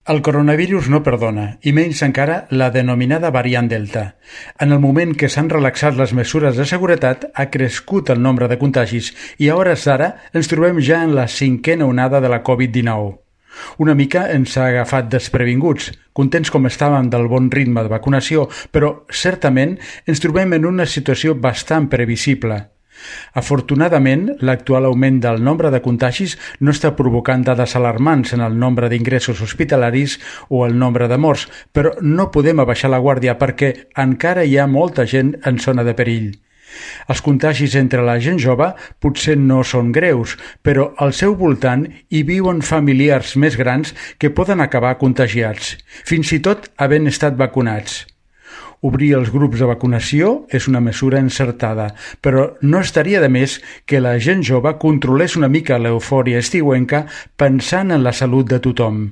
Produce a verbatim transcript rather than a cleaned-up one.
El coronavirus no perdona, i menys encara la denominada variant Delta. En el moment que s'han relaxat les mesures de seguretat, ha crescut el nombre de contagis i a hores d'ara ens trobem ja en la cinquena onada de la covid dinou. Una mica ens ha agafat desprevinguts, contents com estàvem del bon ritme de vacunació, però certament ens trobem en una situació bastant previsible. Afortunadament, l'actual augment del nombre de contagis no està provocant dades alarmants en el nombre d'ingressos hospitalaris o el nombre de morts, però no podem abaixar la guàrdia perquè encara hi ha molta gent en zona de perill. Els contagis entre la gent jove potser no són greus, però al seu voltant hi viuen familiars més grans que poden acabar contagiats, fins i tot havent estat vacunats. Obrir els grups de vacunació és una mesura encertada, però no estaria de més que la gent jove controlés una mica l'eufòria estiuenca pensant en la salut de tothom.